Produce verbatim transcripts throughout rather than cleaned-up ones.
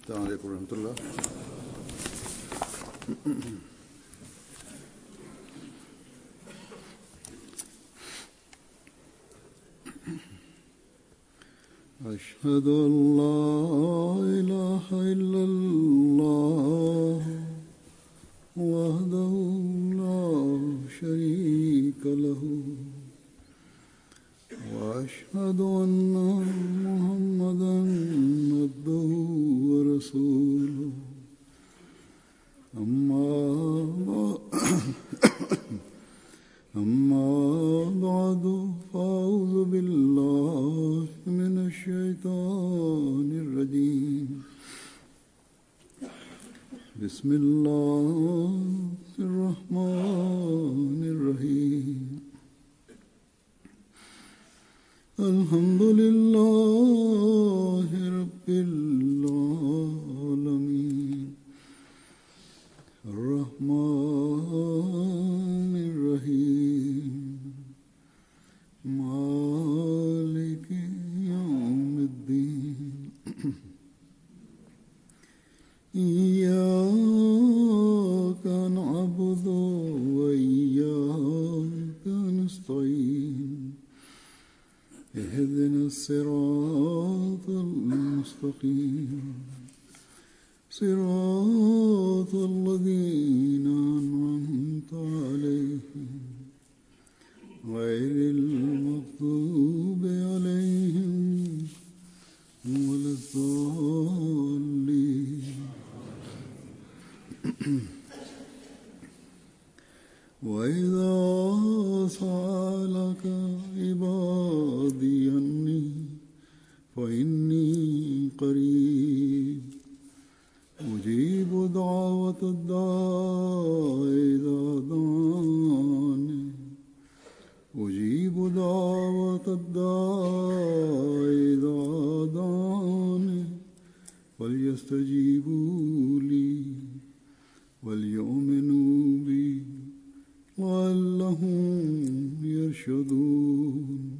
السلام عليكم ورحمة الله. أشهد أن لا إله إلا الله وحده لا شريك له وأشهد أن محمدا عبده ورسوله أما أما بعد فأعوذ بالله من الشيطان الرجيم بسم الله الرحمن الرحيم الحمد لله رب العالمين الرحمن الرحيم مالك يوم الدين إياك نعبد وإياك نستعين اهدنا الصراط المستقيم صراط الذين أنعمت عليهم غير المغضوب عليهم ولا الضالين وإذا سألك عبادي عني فإني قريب أجيب دعوة الداع إذا دعاني أجيب دعوة الداع إذا دعاني فليستجيبوا لي وليؤمنوا بي لعلهم يرشدون.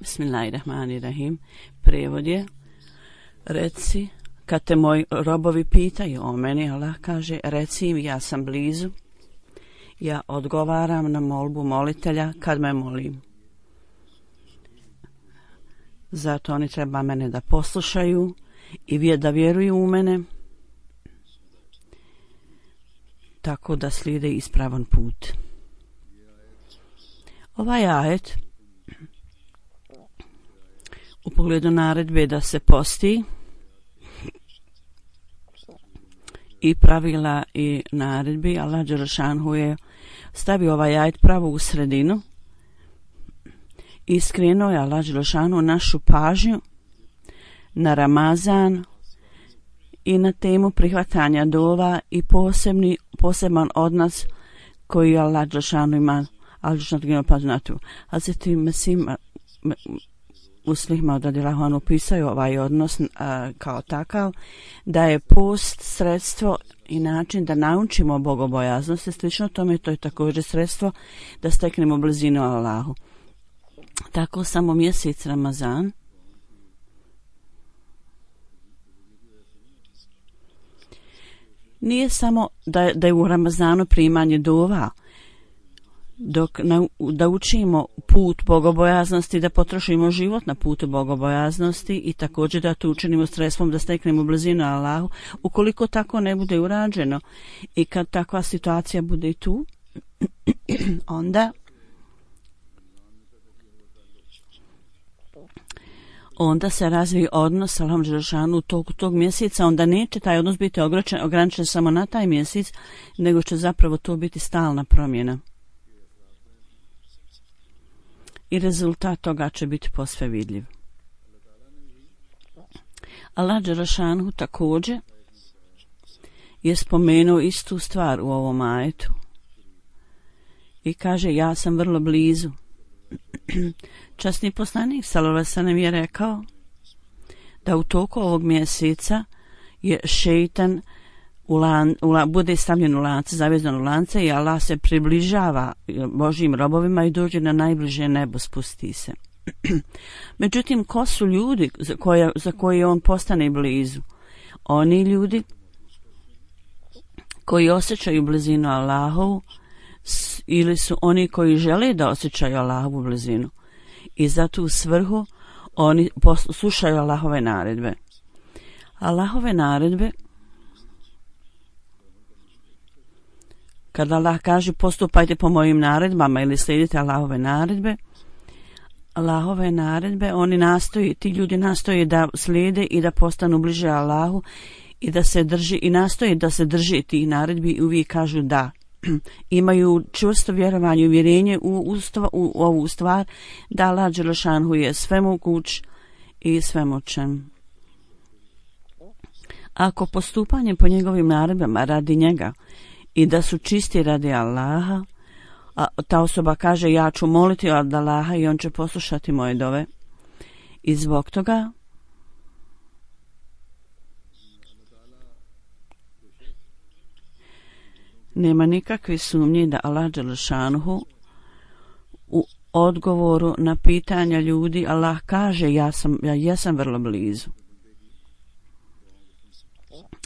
Bismillahirrahmanirrahim. Prijevod je: reci, kad te moji robovi pitaju o meni, Allah kaže, reci im, ja sam blizu, ja odgovaram na molbu molitelja kad me molim. Zato oni treba mene da poslušaju i da vjeruju u mene, tako da slijede ispravan put. Ovaj ajet u pogledu naredbe da se posti i pravila i naredbi, Allah dželešanhu je stavio ovaj ajet pravo u sredinu i skrenuo je Allah dželešanhu našu pažnju na Ramazan i na temu prihvatanja dova i posebni, poseban odnos koji Allah dželešanhu ima, Allah dželešanhu ima poznatu. Hazreti Mesih Muslih Maud radijallahu anhu opisao ovaj odnos a, kao takav, da je post sredstvo i način da naučimo bogobojaznost, slično tome to je također sredstvo da steknemo blizinu Allahu. Tako samo mjesec Ramazan nije samo da, da je u Ramazanu primanje dova, dok na, da učimo put bogobojaznosti, da potrošimo život na putu bogobojaznosti i također da to učinimo sredstvom da steknemo blizinu Allahu. Ukoliko tako ne bude urađeno i kad takva situacija bude tu, onda onda se razvije odnos sa Allahom dželešanu u toku tog mjeseca, onda neće taj odnos biti ograničen, ograničen samo na taj mjesec, nego će zapravo to biti stalna promjena. I rezultat toga će biti posve vidljiv. Allah dželešanu također je spomenuo istu stvar u ovom ajetu i kaže, ja sam vrlo blizu. Časni poslanik sallallahu alejhi ve sellem je rekao da u toku ovog mjeseca je šejtan u lan, u lan, bude stavljen u lance, zavezan u lance i Allah se približava Božjim robovima i dođe na najbliže nebo, spusti se. Međutim, ko su ljudi za koje, za koje on postane blizu? Oni ljudi koji osjećaju blizinu Allahovu ili su oni koji žele da osjećaju Allahovu blizinu. I za tu svrhu oni slušaju Allahove naredbe. Allahove naredbe, kada Allah kaže postupajte po mojim naredbama ili slijedite Allahove naredbe, Allahove naredbe, oni nastoji, ti ljudi nastoje da slijede i da postanu bliže Allahu i da se drži i nastoje da se drži tih naredbi i uvijek kažu da. Imaju čvrsto vjerovanje i uvjerenje u, ustva, u, u ovu stvar da Allah dželešanhu je svemoguć i svemoćan. Ako postupanje po njegovim naredbama radi njega i da su čisti radi Allaha, a ta osoba kaže ja ću moliti od Allaha i on će poslušati moje dove. I zbog toga nema nikakve sumnje da Allah dželešanhu u odgovoru na pitanja ljudi Allah kaže ja sam, ja jesam vrlo blizu.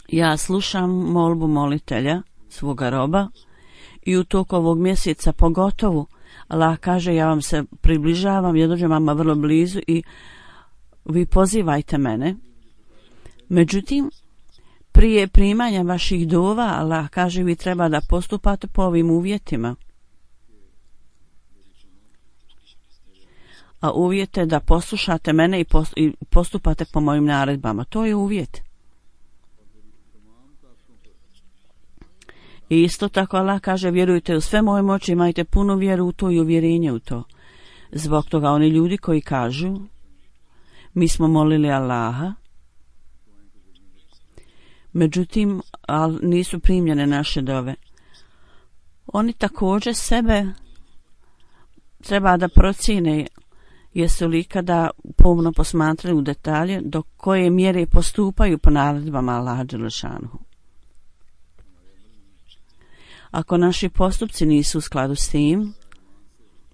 Ja slušam molbu molitelja, svoga roba, i u toku ovog mjeseca pogotovo Allah kaže ja vam se približavam, ja dođem vama vrlo blizu i vi pozivajte mene. Međutim, prije primanja vaših dova Allah kaže vi treba da postupate po ovim uvjetima. A uvjet je da poslušate mene i postupate po mojim naredbama. To je uvjet. I isto tako Allah kaže vjerujte u sve moje moći, imajte punu vjeru u to i uvjerenje u to. Zbog toga oni ljudi koji kažu mi smo molili Allaha, međutim al nisu primljene naše dove. Oni također sebe treba da procijene jesu li kada pomno posmatrali u detalje do koje mjere postupaju po naredbama Allaha dželešanhu. Ako naši postupci nisu u skladu s tim,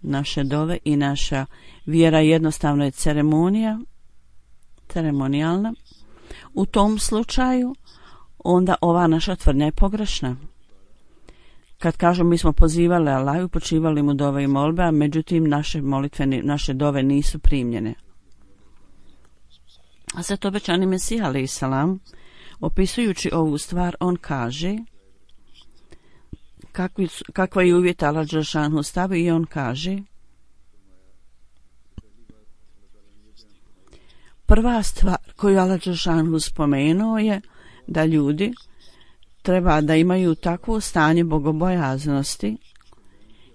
naše dove i naša vjera jednostavno je ceremonija, ceremonijalna, u tom slučaju onda ova naša tvrdnja je pogrešna. Kad kažemo mi smo pozivali Allah i upućivali mu dove i molbe, a međutim naše molitve, naše dove nisu primljene. A sad obećani Mesih alejhi selam, opisujući ovu stvar, on kaže kakvi, kakva je uvjet Allah dželešanhu stavio i on kaže prva stvar koju Allah dželešanhu spomenuo je da ljudi treba da imaju takvo stanje bogobojaznosti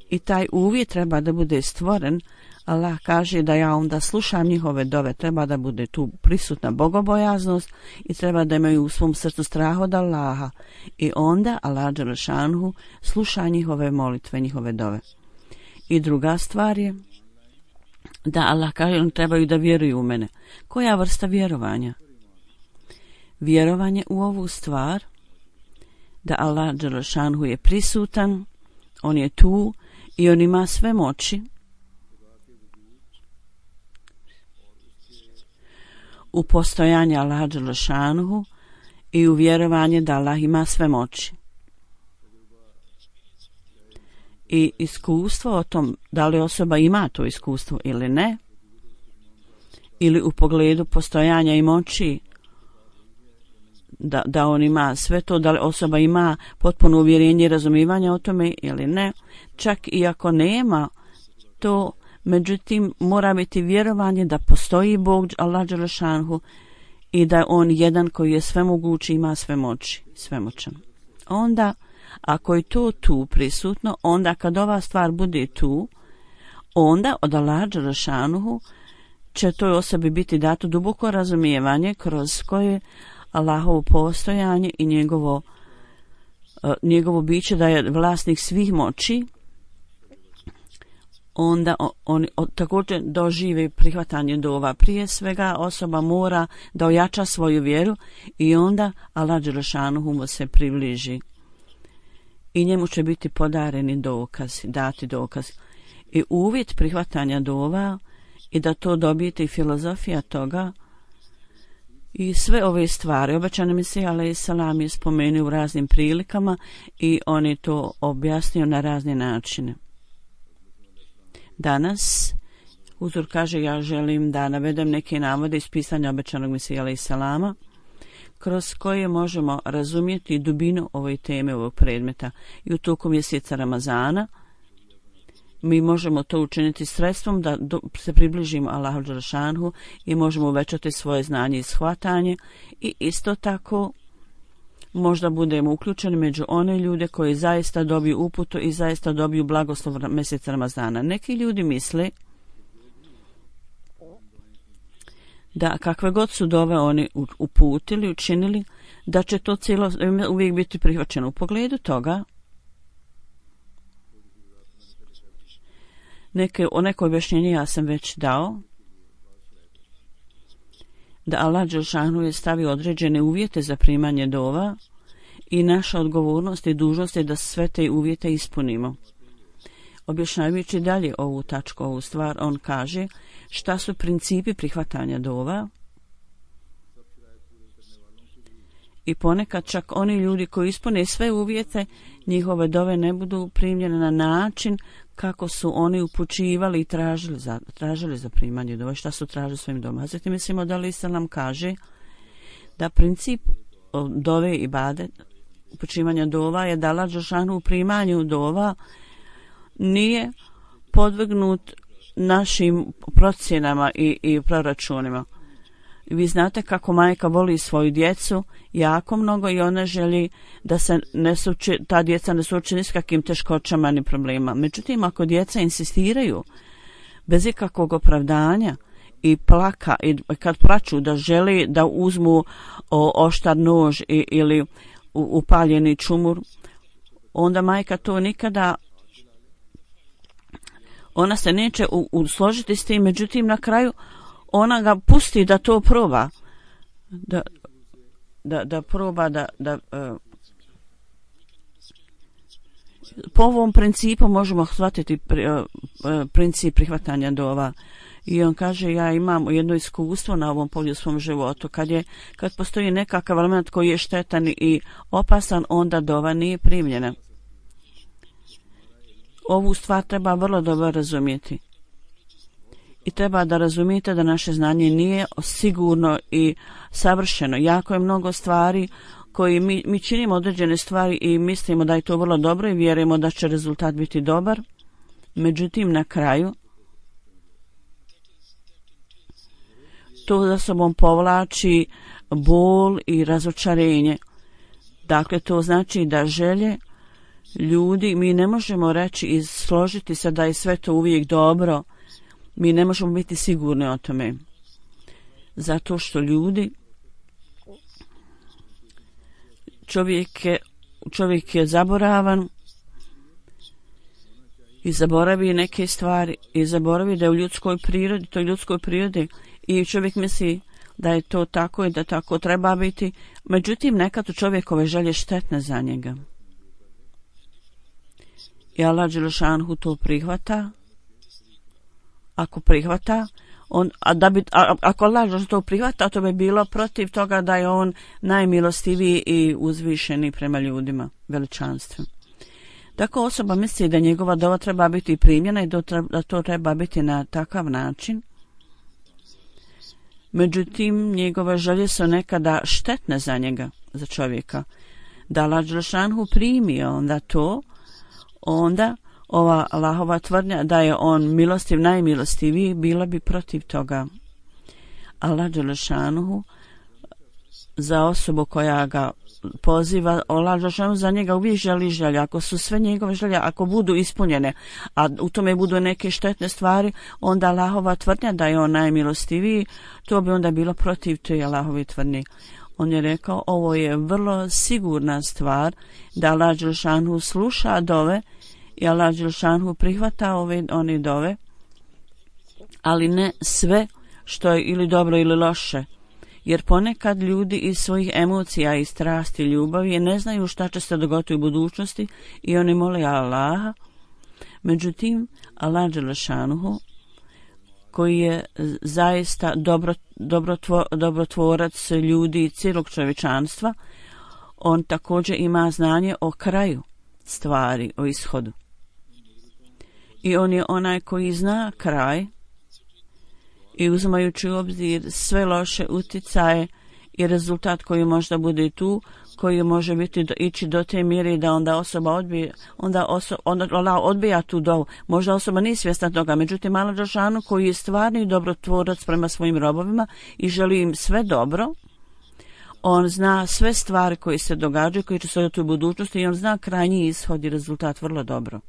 i taj uvjet treba da bude stvoren. Allah kaže da ja onda slušam njihove dove, treba da bude tu prisutna bogobojaznost i treba da imaju u svom srcu strah od Allaha i onda Allah dželešanhu sluša njihove molitve, njihove dove. I druga stvar je da Allah kaže oni trebaju da vjeruju u mene. Koja vrsta vjerovanja? Vjerovanje u ovu stvar da Allah dželešanhu je prisutan, on je tu i on ima sve moći u postojanje Allaha dželešanhu i u vjerovanje da Allah ima sve moći. I iskustvo o tom da li osoba ima to iskustvo ili ne, ili u pogledu postojanja i moći da, da on ima sve to, da li osoba ima potpuno uvjerenje i razumijevanje o tome ili ne, čak i ako nema to, međutim mora biti vjerovanje da postoji Bog Allah dželešanhu i da je on jedan koji je svemogući, ima sve moći, svemoćan. Onda ako je to tu prisutno, onda kad ova stvar bude tu, onda od Allah dželešanhu će toj osobi biti dato duboko razumijevanje kroz koje Allahovo postojanje i njegovo, njegovo biće da je vlasnik svih moći, onda oni također dožive prihvatanje dova. Prije svega osoba mora da ojača svoju vjeru i onda Allah dželešanuhu mu se približi. I njemu će biti podareni dokazi, dati dokazi. I uvjet prihvatanja dova i da to dobijete i filozofija toga i sve ove stvari. Obećani Mesija alejhi selam je spomenuo u raznim prilikama i on je to objasnio na razne načine. Danas Uzur kaže, ja želim da navedem neke navode iz pisanja obećanog Mesija alejhi selama kroz koje možemo razumjeti dubinu ove teme, ovog predmeta. I u toku mjeseca Ramazana mi možemo to učiniti sredstvom da do, se približimo Allahu dželešanhu i možemo uvećati svoje znanje i shvatanje i isto tako možda budemo uključeni među one ljude koji zaista dobiju uputu i zaista dobiju blagoslov mjeseca Ramazana. Neki ljudi misle da kakve god su dove oni uputili, učinili, da će to cijelo uvijek biti prihvaćeno. U pogledu toga neke, o neko objašnjenje ja sam već dao, da Allah dželešanu je stavio određene uvjete za primanje dova i naša odgovornost i dužnost je da sve te uvjete ispunimo. Objašnjavajući dalje ovu tačku, ovu stvar, on kaže šta su principi prihvatanja dova i ponekad čak oni ljudi koji ispune sve uvjete, njihove dove ne budu primljene na način kako su oni upućivali i tražili za, tražili za primanje dova. Šta su tražili svojim doma? Zatim mislimo da li nam kaže da princip dove i bade, upućivanja dova je da Allah dželešanu u primanju dova nije podvrgnut našim procjenama i, i proračunima. Vi znate kako majka voli svoju djecu jako mnogo i ona želi da se ne suči, ta djeca ne suoče s kakvim teškoćama ni problema. Međutim, ako djeca insistiraju bez ikakvog opravdanja i plaka i kad plaču da želi da uzmu o, oštar nož i, ili u, upaljeni čumur, onda majka to nikada ona se neće usložiti s tim, međutim na kraju ona ga pusti da to proba, da, da, da proba da, da uh, po ovom principu možemo shvatiti pri, uh, princip prihvatanja dova. I on kaže, ja imam jedno iskustvo na ovom polju svom životu, kad je kad postoji nekakav element koji je štetan i opasan, onda dova nije primljena. Ovu stvar treba vrlo dobro razumjeti. I treba da razumijete da naše znanje nije sigurno i savršeno. Jako je mnogo stvari koji mi, mi činimo određene stvari i mislimo da je to vrlo dobro i vjerujemo da će rezultat biti dobar. Međutim, na kraju to za sobom povlači bol i razočarenje. Dakle, to znači da želje ljudi, mi ne možemo reći i složiti se da je sve to uvijek dobro. Mi ne možemo biti sigurni o tome. Zato što ljudi, čovjek je, čovjek je zaboravan i zaboravi neke stvari i zaboravi da je u ljudskoj prirodi, to je ljudskoj prirodi i čovjek misli da je to tako i da tako treba biti. Međutim, nekad u čovjekove želje štetne za njega. I Allah dželešanu to prihvata. Ako prihvata, on, a da bi, a, ako Allah to prihvata, to bi bilo protiv toga da je on najmilostiviji i uzvišeni prema ljudima, veličanstven. Tako osoba misli da njegova dova treba biti primljena i da to treba biti na takav način. Međutim, njegove želje su nekada štetne za njega, za čovjeka. Da Allah dželešanu primi onda to, onda ova Allahova tvrdnja da je on milostiv, najmilostiviji, bila bi protiv toga. Allah dželešanu za osobu koja ga poziva, Allah dželešanu za njega uvijek želi želje. Ako su sve njegove želje, ako budu ispunjene, a u tome budu neke štetne stvari, onda Allahova tvrdnja da je on najmilostiviji, to bi onda bilo protiv te Allahove tvrdnje. On je rekao, ovo je vrlo sigurna stvar da Allah dželešanu sluša dove i Allah dželešanu prihvata ove one dove, ali ne sve što je ili dobro ili loše. Jer ponekad ljudi iz svojih emocija i strasti i ljubavi ne znaju šta će se dogoditi u budućnosti i oni mole Allaha. Međutim, Allah dželešanu koji je zaista dobro, dobrotvo, dobrotvorac ljudi i cijelog čovječanstva, on također ima znanje o kraju stvari, o ishodu. I on je onaj koji zna kraj i uzimajući u obzir sve loše uticaje i rezultat koji možda bude tu, koji može biti do, ići do te mjere da onda osoba odbija, onda, oso, onda Allah odbija tu dovu. Možda osoba nije svjesna toga, međutim Allah dželešanu koji je stvarni dobrotvorac prema svojim robovima i želi im sve dobro, on zna sve stvari koje se događaju, koje će se dogati u budućnosti i on zna krajnji ishod i rezultat vrlo dobro.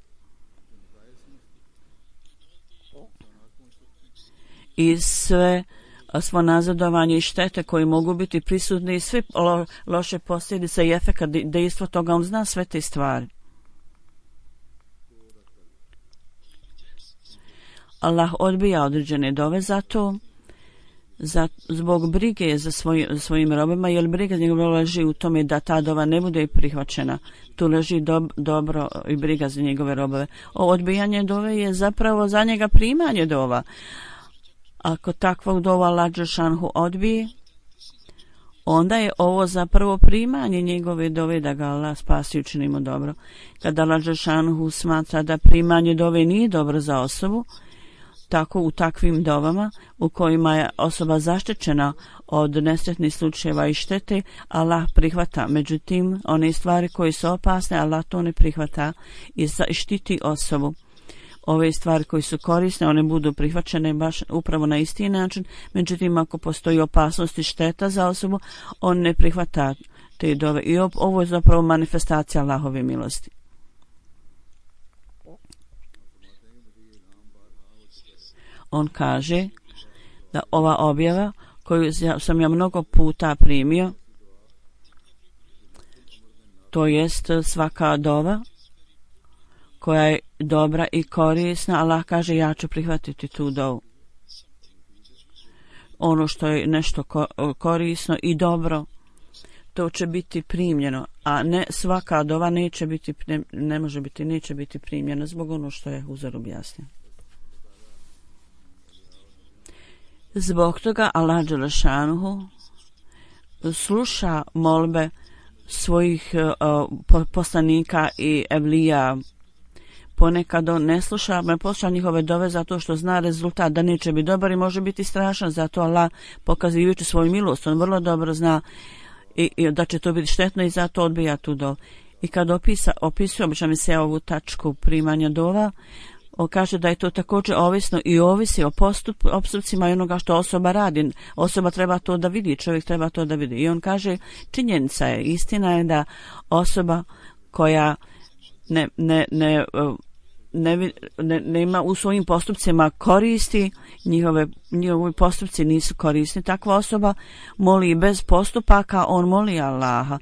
I sve svo nazadovanje i štete koje mogu biti prisutne i sve lo, loše posljedice i efekat dejstva toga, on zna sve te stvari. Allah odbija određene dove za to, za, zbog brige za, svoj, za svojim robima, jer briga njegova leži u tome da ta dova ne bude prihvaćena. Tu leži do, dobro i briga za njegove robove. O odbijanje dove je zapravo za njega primanje dova. Ako takvog dova Allah dželešanu odbije, onda je ovo zapravo primanje njegove dove da ga Allah spasi i učinimo dobro. Kada Allah dželešanu smatra da primanje dove nije dobro za osobu, tako u takvim dovama u kojima je osoba zaštićena od nesretnih slučajeva i štete, Allah prihvata. Međutim, one stvari koje su opasne, Allah to ne prihvata i štiti osobu. Ove stvari koje su korisne, one budu prihvaćene baš upravo na isti način, međutim ako postoji opasnost i šteta za osobu, on ne prihvata te dove. I ovo je zapravo manifestacija Allahove milosti. On kaže da ova objava koju sam ja mnogo puta primio, to jest svaka dova koja je dobra i korisna, Allah kaže ja ću prihvatiti tu dovu. Ono što je nešto korisno i dobro, to će biti primljeno, a ne svaka dova neće biti, ne, ne može biti, neće biti primljena zbog ono što je uzor objasnio. Zbog toga Allah dželešanu sluša molbe svojih uh, poslanika i evlija. Ponekad on ne sluša, ne posluša njihove dove zato što zna rezultat da neće biti dobar i može biti strašan, zato Allah pokazujući svoju milost, on vrlo dobro zna i, i da će to biti štetno i zato odbija tu dovu. I kad opisa, opisuje obično mi se ovu tačku primanja dova, on kaže da je to također ovisno i ovisi o postup, postupcima i onoga što osoba radi. Osoba treba to da vidi, čovjek treba to da vidi. I on kaže, činjenica je, istina je da osoba koja ne, ne, ne, ne, ne, ne ima u svojim postupcima koristi, njihove, njihovi postupci nisu korisni, takva osoba moli bez postupaka, on moli Allaha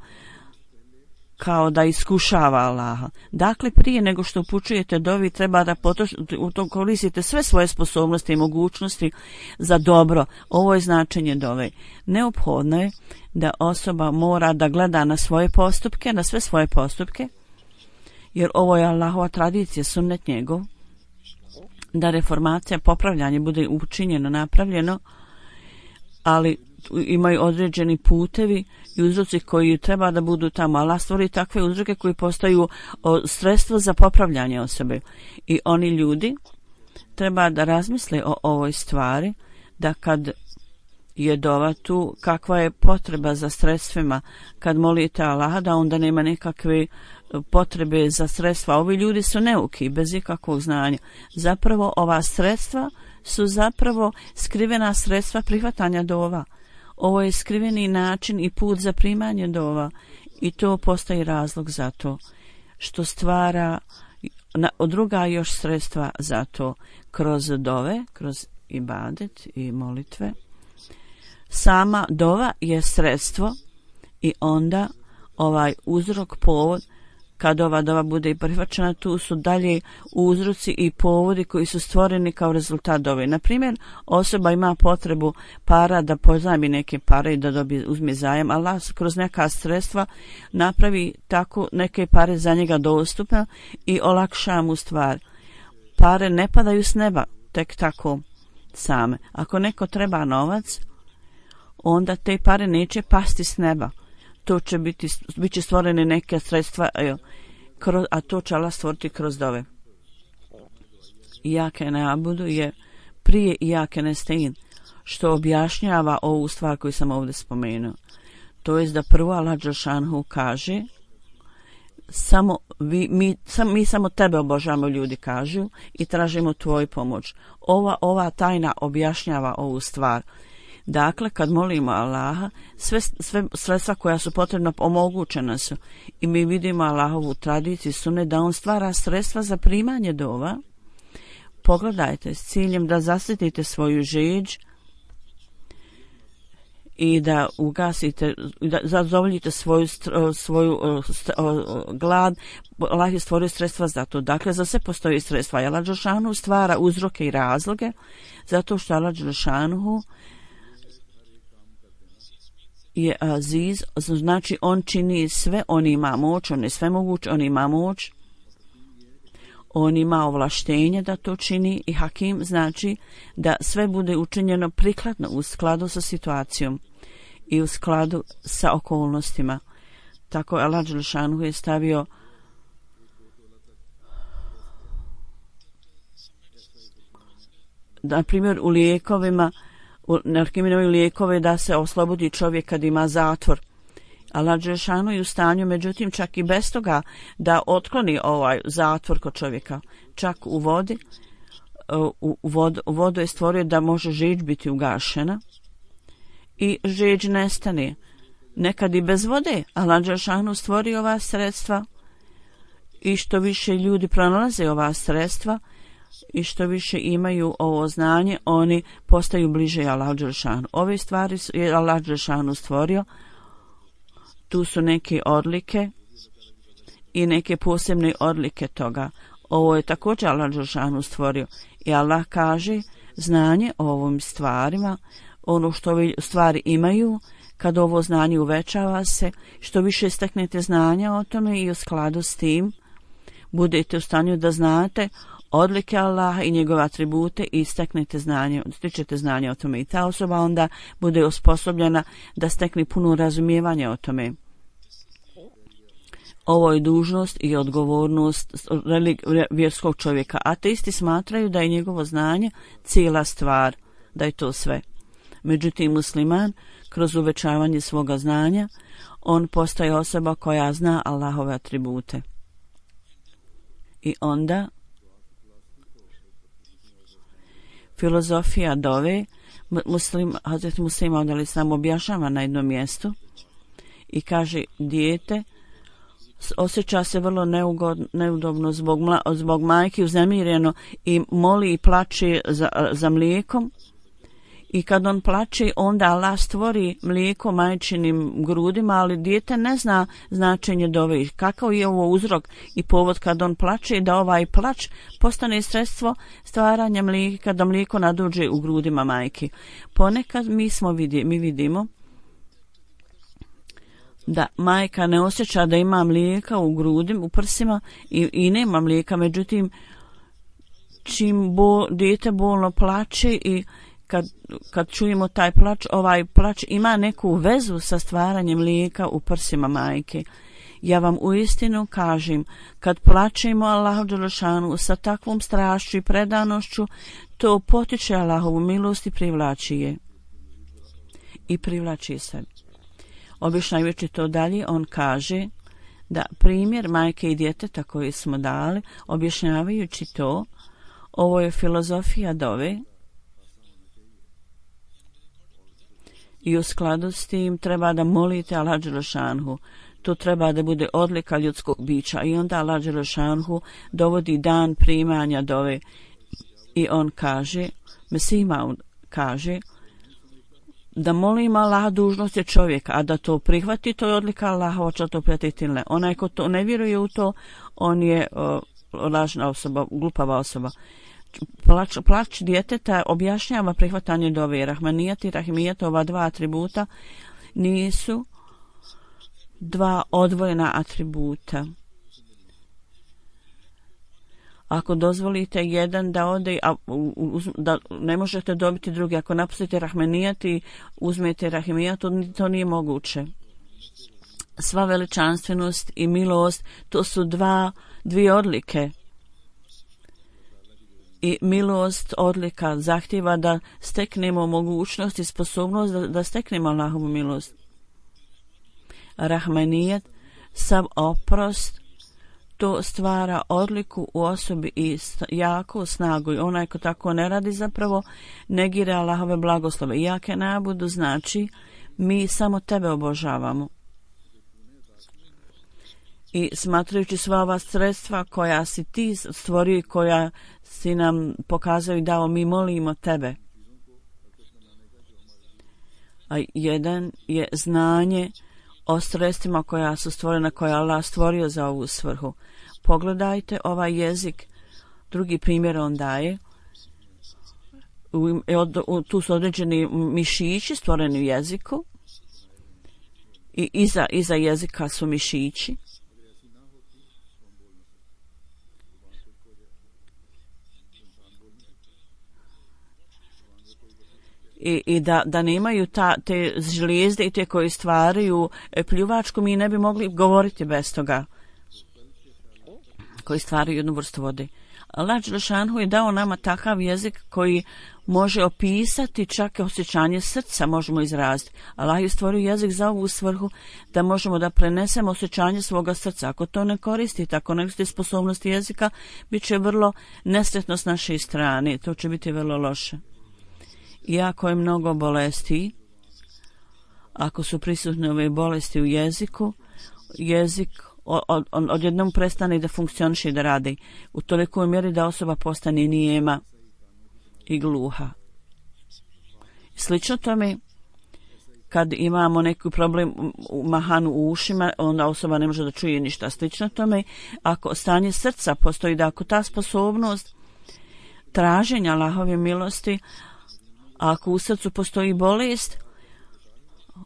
kao da iskušava Allaha. Dakle, prije nego što upućujete dovi, treba da potoš, u tom koristite sve svoje sposobnosti i mogućnosti za dobro. Ovo je značenje dove. Neophodno je da osoba mora da gleda na svoje postupke, na sve svoje postupke, jer ovo je Allahova tradicija, sunnet njegov, da reformacija, popravljanje bude učinjeno, napravljeno, ali imaju određeni putevi i uzroci koji treba da budu tamo. Allah stvori takve uzroke koji postaju sredstvo za popravljanje osobe. I oni ljudi treba da razmisle o ovoj stvari, da kad je dova tu, kakva je potreba za sredstvima, kad molite Allaha, da onda nema nekakve potrebe za sredstva. Ovi ljudi su neuki, bez ikakvog znanja. Zapravo ova sredstva su zapravo skrivena sredstva prihvatanja dova. Ovo je skriveni način i put za primanje dova i to postoji razlog za to što stvara na, druga još sredstva za to kroz dove, kroz ibadet i molitve. Sama dova je sredstvo i onda ovaj uzrok, povod, kad ova dova bude i prihvaćena, tu su dalje uzroci i povodi koji su stvoreni kao rezultat dove. Naprimjer, osoba ima potrebu para da pozajmi neke pare i da dobije, uzme zajem. Allah kroz neka sredstva napravi tako neke pare za njega dostupne i olakša mu stvar. Pare ne padaju s neba tek tako. same. Ako neko treba novac, onda te pare neće pasti s neba. To će biti, bit će stvorene neke sredstva, a to će Allah stvoriti kroz dove. Iyake na'budu je prije Iyake nesta'in, što objašnjava ovu stvar koju sam ovdje spomenuo. To jest da prvo Allah dželšanhu kaže samo vi, mi, sam, mi samo tebe obožavamo, ljudi kažu, i tražimo tvoju pomoć. Ova, ova tajna objašnjava ovu stvar. Dakle, kad molimo Allaha, sve, sve sredstva koja su potrebna omogućena su. I mi vidimo Allahovu tradiciju sunne da on stvara sredstva za primanje dova. Pogledajte, s ciljem da zasjetite svoju žeđ i da ugasite, da zadovoljite svoju, svoju glad. Allah je stvorio sredstva za to. Dakle, za sve postoji sredstva. Allah dželešanu stvara uzroke i razloge, zato što Allah dželešanu je aziz, znači on čini sve, on ima moć, on je sve moguć, on ima moć, on ima ovlaštenje da to čini, i hakim znači da sve bude učinjeno prikladno u skladu sa situacijom i u skladu sa okolnostima. Tako Allah dželešanu je stavio na primjer u lijekovima, neki imaju lijekove da se oslobodi čovjek kad ima zatvor. Allah dželešanu je u stanju, međutim, čak i bez toga da otkloni ovaj zatvor kod čovjeka. Čak u vodi, u, vod, u vodu je stvorio da može žeđ biti ugašena i žeđ nestane. Nekad i bez vode Allah dželešanu stvorio ova sredstva, i što više ljudi pronalaze ova sredstva i što više imaju ovo znanje, oni postaju bliže Allahu dželešanu. Ove stvari je Allah dželešanu stvorio. Tu su neke odlike i neke posebne odlike toga. Ovo je također Allah dželešanu stvorio. I Allah kaže znanje o ovim stvarima, ono što ove stvari imaju, kad ovo znanje uvećava se, što više steknete znanja o tome i u skladu s tim budete u stanju da znate odlike Allaha i njegove atribute i steknete znanje, stičete znanje o tome, i ta osoba onda bude osposobljena da stekne puno razumijevanja o tome. Ovo je dužnost i odgovornost vjerskog čovjeka. Ateisti smatraju da je njegovo znanje cijela stvar, da je to sve. Međutim, musliman, kroz uvećavanje svoga znanja, on postaje osoba koja zna Allahove atribute. I onda filozofija dove, muslim, Hazreti Musa ovdje sam objašnjava na jednom mjestu i kaže, dijete osjeća se vrlo neugodno, neudobno zbog, mla, zbog majke, uznemireno, i moli i plače za, za mlijekom. I kad on plače, onda Allah stvori mlijeko majčinim grudima, ali dijete ne zna značenje dove. Kakav je ovo uzrok i povod kad on plače, da ovaj plač postane sredstvo stvaranja mlijeka, kada mlijeko nadođe u grudima majke. Ponekad mi, smo vidi, mi vidimo da majka ne osjeća da ima mlijeka u grudim, u prsima, i, i nema mlijeka, međutim čim bo, dijete bolno plače i Kad, kad čujemo taj plač, ovaj plač ima neku vezu sa stvaranjem mlijeka u prsima majke. Ja vam uistinu kažem, kad plačemo Allahu dželešanu sa takvom strašću i predanošću, to potiče Allahovu milost i privlači je. I privlači se. Objašnjavajući to dalje, on kaže da primjer majke i djeteta koji smo dali, objašnjavajući to, ovo je filozofija dove, i u skladu s tim treba da molite Allah dželešanhu. To treba da bude odlika ljudskog bića, i onda Allah dželešanhu dovodi dan primanja dove i on kaže, Mesima kaže da molim Allah, dužnost je čovjeka, a da to prihvati, to je odlika Allaha, hoće to pratiti ne. Onaj ko to ne vjeruje u to, on je o, lažna osoba, glupava osoba. Plač, plač djeteta objašnjava prihvatanje dove. Rahmanijat i Rahimijat, ova dva atributa nisu dva odvojena atributa. Ako dozvolite jedan da ode, a uz, da ne možete dobiti drugi. Ako napustite rahmenijat i uzmete rahmenijat, to, to nije moguće. Sva veličanstvenost i milost, to su dva, dvije odlike. I milost odlika zahtjeva da steknemo mogućnost i sposobnost da, da steknemo Allahovu milost. Rahmanijat, sav oprost, to stvara odliku u osobi i jaku snagu. I onaj ko tako ne radi zapravo negira Allahove blagoslove. Jake nabudu znači mi samo tebe obožavamo. I smatrajući sva ova sredstva koja si ti stvorio i koja si nam pokazao i dao, mi molimo tebe. A jedan je znanje o sredstvima koja su stvorena, koja je Allah stvorio za ovu svrhu. Pogledajte ovaj jezik. Drugi primjer on daje. U, u, tu su određeni mišići stvoreni u jeziku. I iza, iza jezika su mišići. I, i da, da nemaju ta, te žlijezde i te koji stvaraju pljuvačku, mi ne bi mogli govoriti bez toga, koji stvaraju jednu vrstu vode. Allah dželešanu je dao nama takav jezik koji može opisati čak i osjećanje srca, možemo izraziti. Allah je stvorio jezik za ovu svrhu da možemo da prenesemo osjećanje svoga srca. Ako to ne koristite, ako ne koristite sposobnosti jezika, bit će vrlo nesretno s naše strane, to će biti vrlo loše. Iako je mnogo bolesti, ako su prisutne ove bolesti u jeziku, jezik od, od, odjednom prestane da funkcioniše i da radi u tolikoj mjeri da osoba postane nijema i gluha. Slično tome, kad imamo neki problem u mahanu u ušima, onda osoba ne može da čuje ništa. Slično tome, ako stanje srca postoji, da ako ta sposobnost traženja Allahove milosti, ako u srcu postoji bolest,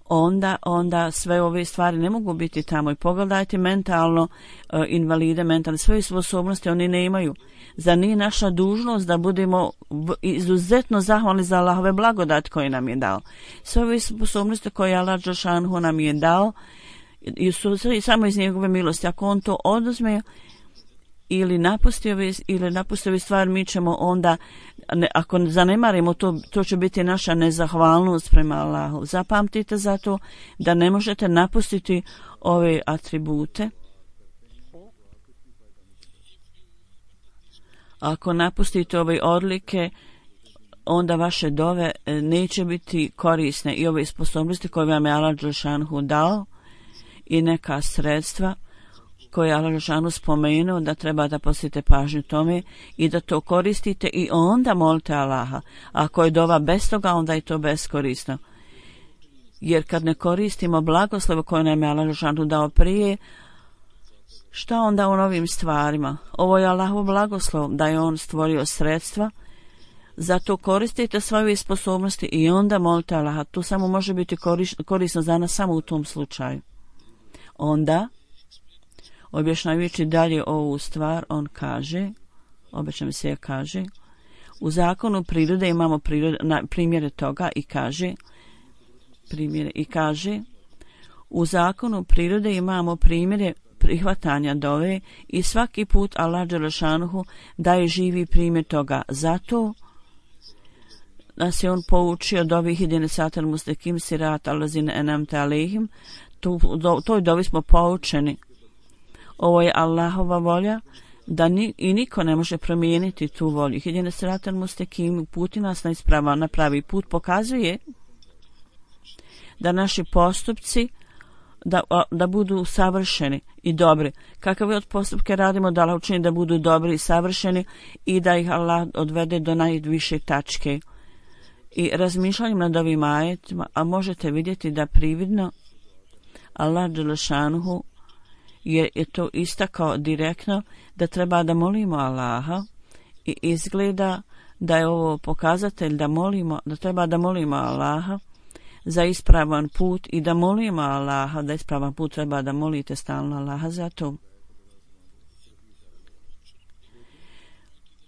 onda, onda sve ove stvari ne mogu biti tamo. I pogledajte mentalno uh, invalide, mentalne svoje sposobnosti oni ne imaju. Zar nije naša dužnost da budemo izuzetno zahvalni za Allahove blagodati koje nam je dao? Sve ove sposobnosti koje Allah dželešanu nam je dao i su samo iz njegove milosti. Ako on to oduzme ili napusti ove, ili napusti ove stvari, mi ćemo onda, ne, ako zanemarimo to, to će biti naša nezahvalnost prema Allahu. Zapamtite zato da ne možete napustiti ove atribute. Ako napustite ove odlike, onda vaše dove neće biti korisne i ove sposobnosti koje vam je Allah dželešanu dao i neka sredstva koje je Allah dželešanu spomenuo da treba da posvetite pažnju tome i da to koristite i onda molite Allaha. Ako je dova bez toga, onda je to beskorisno. Jer kad ne koristimo blagoslov koje nam je Allah dželešanu dao prije, šta onda u novim stvarima? Ovo je Allahov blagoslov da je on stvorio sredstva, zato koristite svoje sposobnosti i onda molite Allaha. To samo može biti korisno za nas samo u tom slučaju. Onda objašnjavajući dalje ovu stvar, on kaže, obično se kaže, u zakonu prirode imamo prirode, na, primjere toga i kaže, primjere i kaže, u zakonu prirode imamo primjere prihvatanja dove i svaki put Allah dželešanu daje živi primjer toga. Zato nas je on poučio dovi hidine satel mustekim sirat alazine enamte alehim, toj dovi smo poučeni. Ovo je Allahova volja da ni, i niko ne može promijeniti tu volju. Hidine siratel mustekim puti nas na isprava, na pravi put, pokazuje da naši postupci da, da budu savršeni i dobri. Kakave od postupke radimo da Allah učini da budu dobri i savršeni i da ih Allah odvede do najviše tačke. I razmišljanjem nad ovim ajetima, a možete vidjeti da prividno Allah dželešanu je, je to istakao direktno da treba da molimo Allaha i izgleda da je ovo pokazatelj da molimo, da treba da molimo Allaha za ispravan put i da molimo Allaha da ispravan put treba da molite stalno Allaha za to.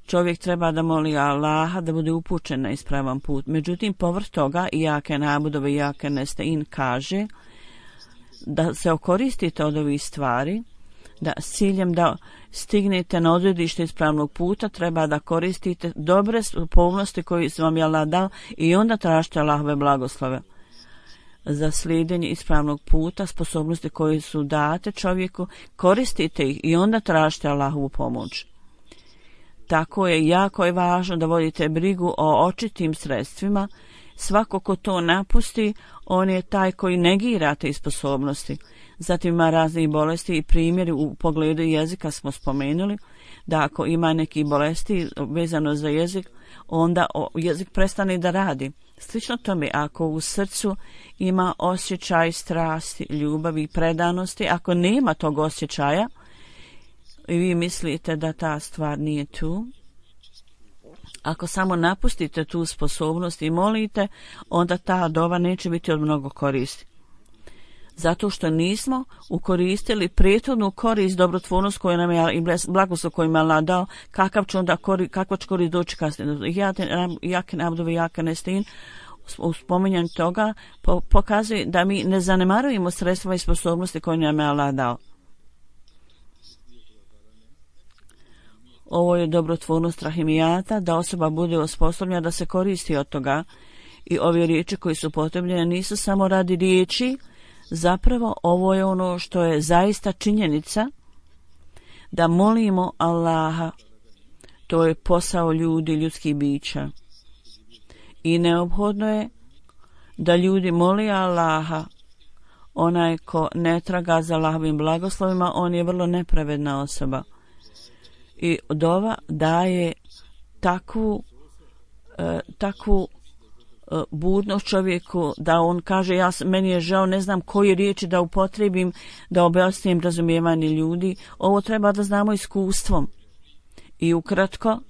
čovjek treba da moli Allaha da bude upućen na ispravan put. Međutim, povrh toga, Ijake na'budu i Ijake nesta'in kaže da se okoristite od ovih stvari, da s ciljem da stignete na odredište ispravnog puta treba da koristite dobre sposobnosti koje vam je Allah dao i onda tražite Allahove blagoslove za slijedenje ispravnog puta, sposobnosti koje su date čovjeku, koristite ih i onda tražite Allahovu pomoć. Tako je jako je važno da vodite brigu o očitim sredstvima. Svako ko to napusti, on je taj koji negira te sposobnosti. Zatim ima raznih bolesti i primjeri u pogledu jezika smo spomenuli, da ako ima neki bolesti vezano za jezik, onda jezik prestane da radi. Slično tome, ako u srcu ima osjećaj strasti, ljubavi i predanosti, ako nema tog osjećaja i vi mislite da ta stvar nije tu, ako samo napustite tu sposobnost i molite, onda ta dova neće biti od mnogo koristi. Zato što nismo ukoristili prethodnu korist, dobrotvornost koju nam je i blagoslov koju nam je Allah dao, kakav će onda kori, kakva će korist doći kasnije. Ijake na'budu i Ijake nesta'in u spominjanju toga po, pokazuje da mi ne zanemarujemo sredstva i sposobnosti koje nam je Allah dao. Ovo je dobrotvornost rahimijata, da osoba bude osposobljena da se koristi od toga i ove riječi koje su potrebljene nisu samo radi riječi, zapravo ovo je ono što je zaista činjenica da molimo Allaha, to je posao ljudi, ljudskih bića i neophodno je da ljudi moli Allaha. Onaj ko ne traga za Allahovim blagoslovima, on je vrlo nepravedna osoba. I dova daje takvu, e, takvu e, budnost čovjeku da on kaže ja, meni je žao, ne znam koje riječi da upotrebim, da objasnim razumijevanje ljudi. Ovo treba da znamo iskustvom. I ukratko,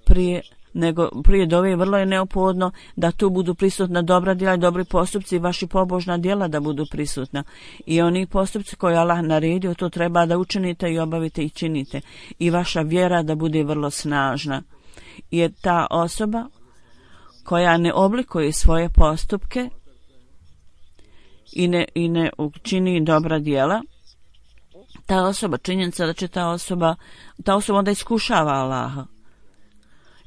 prije, nego, prije dove vrlo je neophodno da tu budu prisutna dobra djela i dobri postupci i vaši pobožna djela da budu prisutna. I oni postupci koje Allah naredio, to treba da učinite i obavite i činite. I vaša vjera da bude vrlo snažna. Jer ta osoba koja ne oblikuje svoje postupke i ne, i ne čini dobra djela, ta osoba, činjenica da će ta osoba, ta osoba onda iskušava Allaha.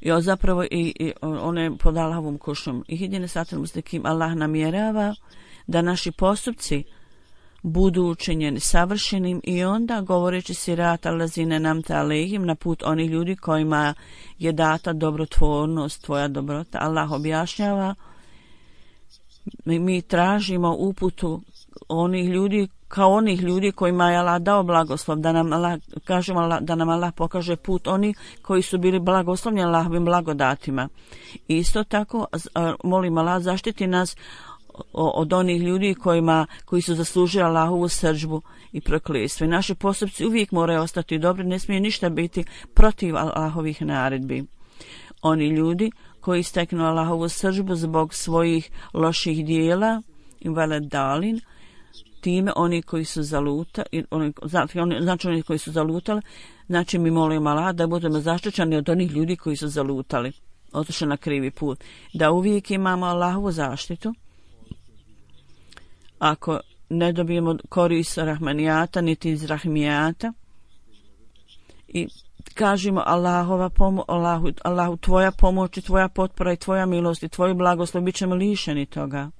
I on zapravo i, i on je pod Allahovom kušnjom. I hidjene satel muslikim, Allah namjerava da naši postupci budu učinjeni savršenim i onda govoreći sirat alazine namta alehim na put onih ljudi kojima je data dobrotvornost, tvoja dobrota. Allah objašnjava, mi, mi tražimo uputu onih ljudi kao onih ljudi kojima je Allah dao blagoslov, da nam Allah, kažemo Allah, da nam Allah pokaže put oni koji su bili blagoslovljeni Allahovim blagodatima. Isto tako molim Allah zaštiti nas od onih ljudi kojima, koji su zaslužili Allahovu srdžbu i prokletstvo. I naši postupci uvijek moraju ostati dobri, ne smije ništa biti protiv Allahovih naredbi. Oni ljudi koji steknu Allahovu srdžbu zbog svojih loših dijela i veledalin, time oni koji su zalutali, oni, znači oni koji su zalutali, znači mi molimo Allah da budemo zaštićeni od onih ljudi koji su zalutali, otišli na krivi put. Da uvijek imamo Allahovu zaštitu. Ako ne dobijemo korist rahmanijata, niti iz rahmijata, i kažemo Allahova pomo, Allahu, Allahu tvoja pomoć i tvoja potpora i tvoja milost i tvoj blagoslov, bit ćemo lišeni toga.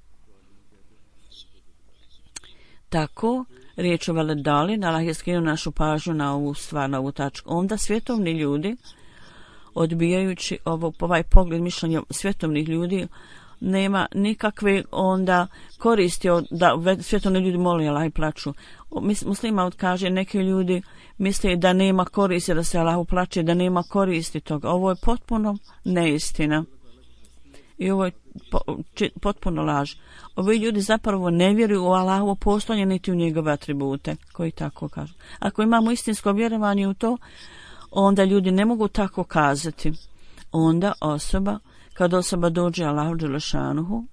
Tako, riječ o veledalin, Allah je skrenuo našu pažnju na ovu stvar, na ovu tačku. Onda svjetovni ljudi, odbijajući ovo, ovaj pogled mišljenja svjetovnih ljudi, nema nikakve onda koristi od, da svjetovni ljudi moli Allah i plaču. Muslima kaže, neki ljudi misle da nema koristi da se Allah plače, da nema koristi toga. Ovo je potpuno neistina. I ovo je potpuno laž. Ovi ljudi zapravo ne vjeruju u Allahovo postojanje niti u njegove atribute, koji tako kažu. Ako imamo istinsko vjerovanje u to, onda ljudi ne mogu tako kazati. Onda osoba, kad osoba dođe Allahu dželešanuhu,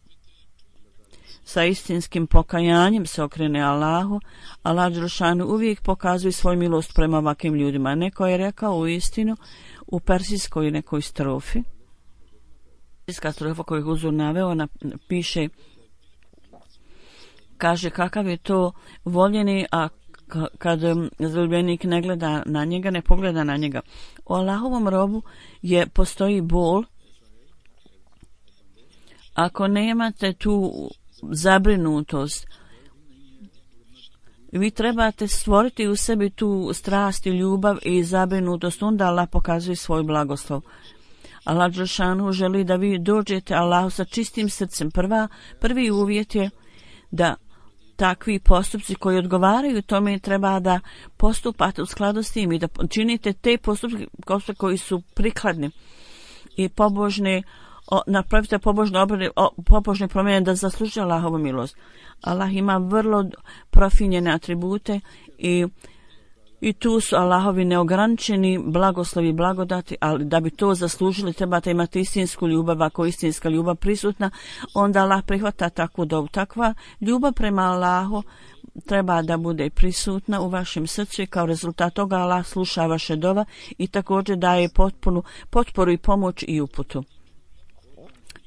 sa istinskim pokajanjem se okrene Allahu, Allah dželešanu uvijek pokazuje svoju milost prema ovakvim ljudima. Neko je rekao u istinu u persijskoj nekoj strofi, persijska strofa koju je Huzur naveo, ona piše, kaže kakav je to voljeni, a kad zaljubljenik ne gleda na njega, ne pogleda na njega. U Allahovom robu je postoji bol. Ako nemate tu zabrinutost, vi trebate stvoriti u sebi tu strast i ljubav i zabrinutost, onda Allah pokazuje svoj blagoslov. Allah dželešanu želi da vi dođete Allahu sa čistim srcem. Prva, prvi uvjet je da takvi postupci koji odgovaraju tome treba da postupate u skladu s tim i da činite te postupke koji su prikladni i pobožne, o, napravite pobožne obrade, o, pobožne promjene da zaslužuje Allahovu milost. Allah ima vrlo profinjene atribute i I tu su Allahovi neograničeni blagoslovi i blagodati, ali da bi to zaslužili trebate imati istinsku ljubav. Ako je istinska ljubav prisutna, onda Allah prihvata takvu dobu. Takva ljubav prema Allahu treba da bude prisutna u vašem srcu i kao rezultat toga Allah sluša vaše dova i također daje potpunu potporu i pomoć i uputu.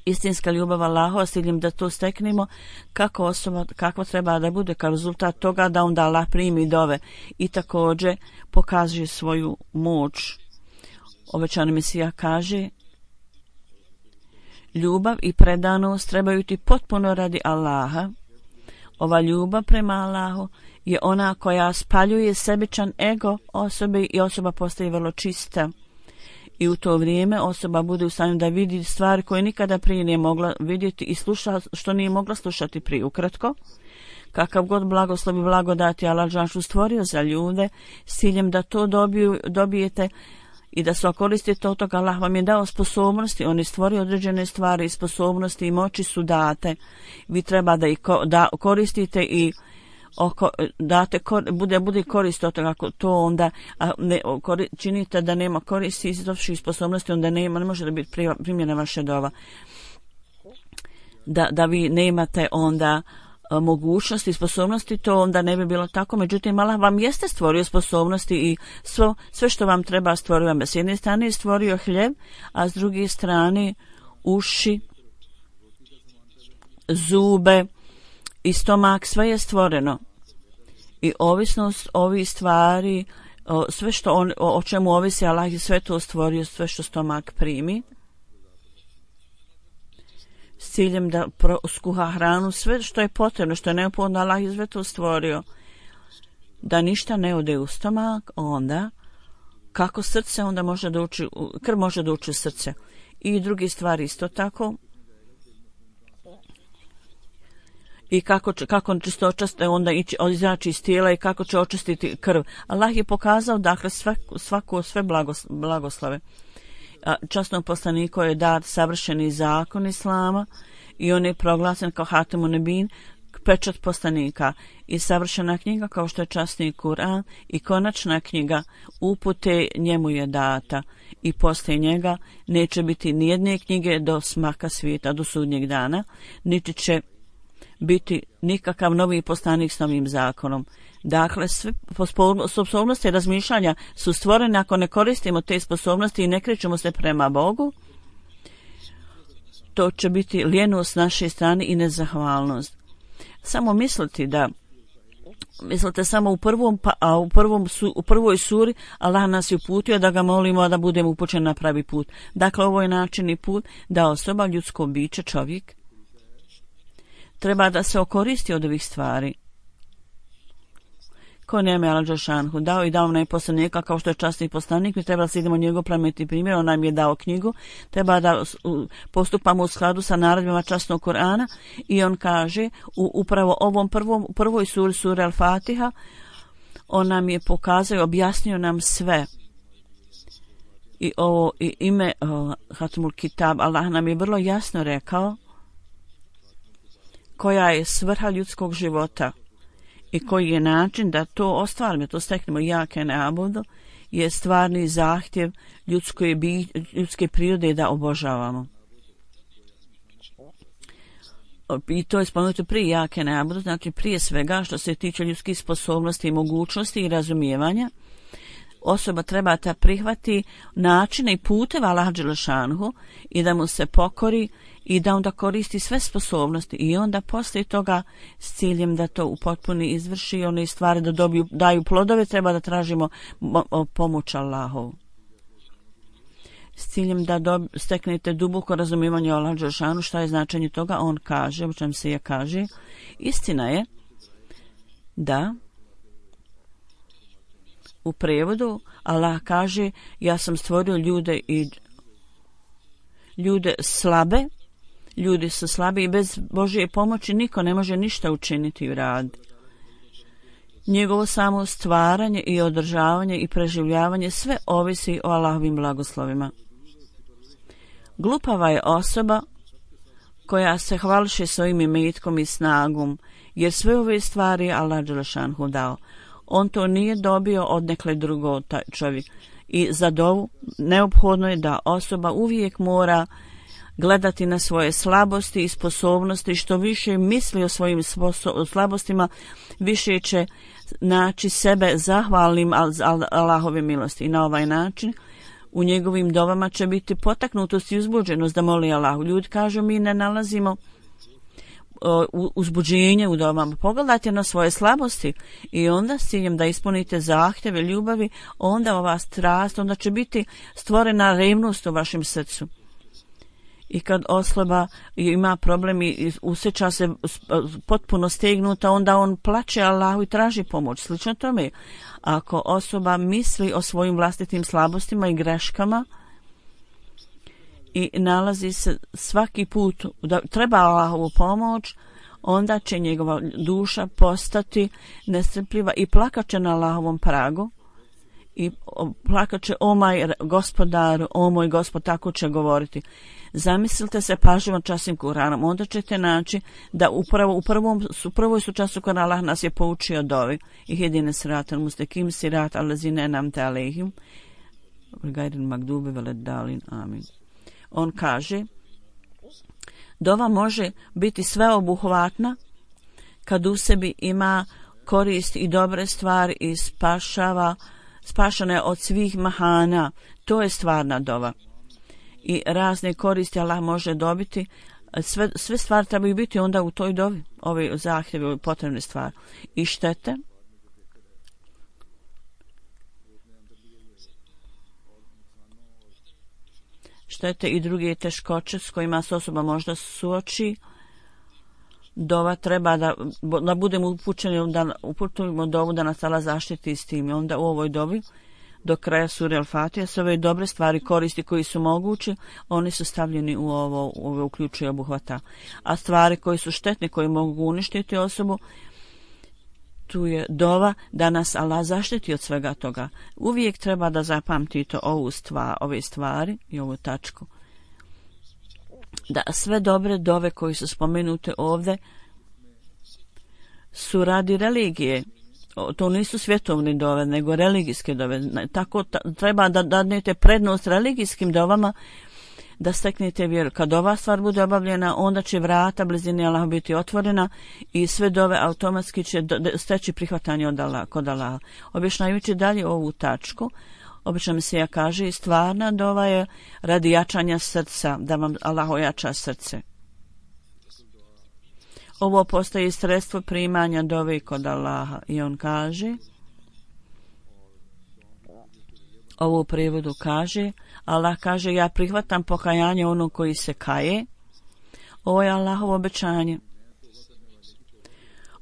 Istinska ljubav Allahova s ciljem da to steknemo, kako osoba, kako treba da bude kao rezultat toga da onda Allah primi dove i također pokazuje svoju moć. Obećani Mesija kaže, ljubav i predanost trebaju ti potpuno radi Allaha. Ova ljubav prema Allahu je ona koja spaljuje sebičan ego osobe i osoba postaje vrlo čista. I u to vrijeme osoba bude u stanju da vidi stvari koje nikada prije nije mogla vidjeti i sluša što nije mogla slušati prije. Ukratko, kakav god blagoslov i blagodati Allah dželešanu stvorio za ljude s ciljem da to dobiju, dobijete i da se okoristite od toga, Allah vam je dao sposobnosti, on je stvorio određene stvari i sposobnosti i moći su date. Vi treba da ih ko, da koristite i oko, date kor, bude bude korist od toga. Ako to onda a ne kori, činite da nema koristi iz vaših sposobnosti, onda nema, ne može da biti primljena vaša dova. Da, da vi nemate onda a, mogućnosti i sposobnosti, to onda ne bi bilo tako. Međutim, Allah vam jeste stvorio sposobnosti i svo, sve što vam treba stvorio vam. S jedne strane je stvorio hljeb, a s druge strane uši, zube i stomak, sve je stvoreno. I ovisnost ovih stvari, o, sve što on, o, o čemu ovisi Allah je sve to stvorio, sve što stomak primi. S ciljem da pro, skuha hranu, sve što je potrebno, što je neophodno, Allah je sve to stvorio. Da ništa ne ode u stomak, onda kako srce onda može da uči, krv može da uči u srce. I drugi stvari isto tako. I kako, kako čistoća onda ići, izaći iz tijela i kako će očistiti krv. Allah je pokazao, dakle, svaku, svaku, sve blagos, blagoslove. Časnom poslaniku je dat savršeni zakon Islama i on je proglasen kao Hatimun Nebin, pečat poslanika i savršena knjiga kao što je časni Kur'an i konačna knjiga upute njemu je data i poslije njega neće biti nijedne knjige do smaka svijeta, do sudnjeg dana, niti će biti nikakav novi poslanik s novim zakonom. Dakle, sve sposobnosti razmišljanja su stvorene. Ako ne koristimo te sposobnosti i ne krećemo se prema Bogu, to će biti lijenost s naše strane i nezahvalnost. Samo misliti da mislite samo u prvom pa, a u prvom su, u prvoj suri Allah nas je uputio da ga molimo da budemo upućeni na pravi put. Dakle, ovo je način i put da osoba, ljudsko biće, čovjek treba da se okoristi od ovih stvari. Ko nema Allah dželešanu dao i dao nam poslanika kao što je časni poslanik, mi treba da slijedimo njegov plemeniti primjer, on nam je dao knjigu, treba da postupamo u skladu sa naredbama časnog Kur'ana i on kaže u upravo ovom prvom, prvoj suri, suri Al-Fatiha, on nam je pokazao i objasnio nam sve. I ovo i ime oh, Hatimul Kitab, Allah nam je vrlo jasno rekao koja je svrha ljudskog života i koji je način da to ostvarimo, to steknemo jake neabudu, je stvarni zahtjev ljudske, ljudske prirode da obožavamo. i to je spomenuto prije jake nabudu, znači prije svega što se tiče ljudskih sposobnosti i mogućnosti i razumijevanja, osoba treba da prihvati načine i puteva Allaha dželešanhu i da mu se pokori i da onda koristi sve sposobnosti i onda poslije toga s ciljem da to u potpuni izvrši one stvari da dobiju, daju plodove, treba da tražimo pomoć Allahovu. S ciljem da dob, steknete duboko razumijevanje o Allahu dželešanu, šta je značenje toga, on kaže, u čem se je kaže, istina je da u prevodu Allah kaže ja sam stvorio ljude i ljude slabe, ljudi su slabi i bez Božje pomoći niko ne može ništa učiniti i raditi. Njegovo samo stvaranje i održavanje i preživljavanje sve ovisi o Allahovim blagoslovima. Glupava je osoba koja se hvališe svojim imetkom i snagom, jer sve ove stvari Allah dželešanhu dao. On to nije dobio od nekle drugo taj čovjek. I za dovu neophodno je da osoba uvijek mora gledati na svoje slabosti i sposobnosti. Što više misli o svojim slabostima, više će naći sebe zahvalnim Allahove milosti. I na ovaj način u njegovim dovama će biti potaknutost i uzbuđenost da moli Allahu. Ljudi kažu mi ne nalazimo uzbuđenje u dovama. Pogledajte na svoje slabosti i onda s ciljem da ispunite zahtjeve ljubavi, onda ova strast, onda će biti stvorena revnost u vašem srcu. I kad osoba ima problem i usjeća se potpuno stegnuta, onda on plače Allahu i traži pomoć. Slično tome, ako osoba misli o svojim vlastitim slabostima i greškama i nalazi se svaki put da treba Allahovu pomoć, onda će njegova duša postati nestrpljiva i plakaće na Allahovom pragu i plakaće o moj gospodar, o moj gospod, tako će govoriti. Zamislite se pažljivo časnim Kuranom, onda ćete naći da upravo u prvom su prvoj su času kad Allah nas je poučio dovi i hedine sirat al-mustakim sirat al-lazine namte alejhim gajrin magdubi veledalin amin. On kaže dova može biti sveobuhvatna kad u sebi ima korist i dobre stvari i spašava spašane od svih mahana. To je stvarna dova. I razne koristi Allah može dobiti. Sve, sve stvari trebaju biti onda u toj dovi. Ove zahtjeve, ove potrebne stvari. I štete. Štete i druge teškoće s kojima se osoba možda suoči. Dova treba da, da budemo upućeni, da uputujemo dovu da nas Allah zaštiti s tim. Onda u ovoj dobi do kraja sure Al-Fatiha sve ove dobre stvari, koristi koji su mogući, oni su stavljeni u ovo, u ovo uključuje obuhvata. A stvari koji su štetne, koji mogu uništiti osobu, tu je dova da nas Allah zaštiti od svega toga. Uvijek treba da zapamtite ovu stvar, ove stvari i ovu tačku. Da sve dobre dove koji su spomenute ovdje su radi religije. To nisu svjetovne dove, nego religijske dove. Tako ta, treba da dadnete prednost religijskim dovama da steknete vjeru. Kad ova stvar bude obavljena, onda će vrata blizine Allaha biti otvorena i sve dove automatski će steći prihvatanje od Allah, kod Allaha. Objašnjavajući dalje ovu tačku, obično mi se ja kaže, stvarna dova je radi jačanja srca, da vam Allah ojača srce. Ovo postaje sredstvo primanja dove kod Allaha. I on kaže, ovo u prevodu kaže, Allah kaže, ja prihvatam pokajanje onog koji se kaje. Ovo je Allahovo obećanje.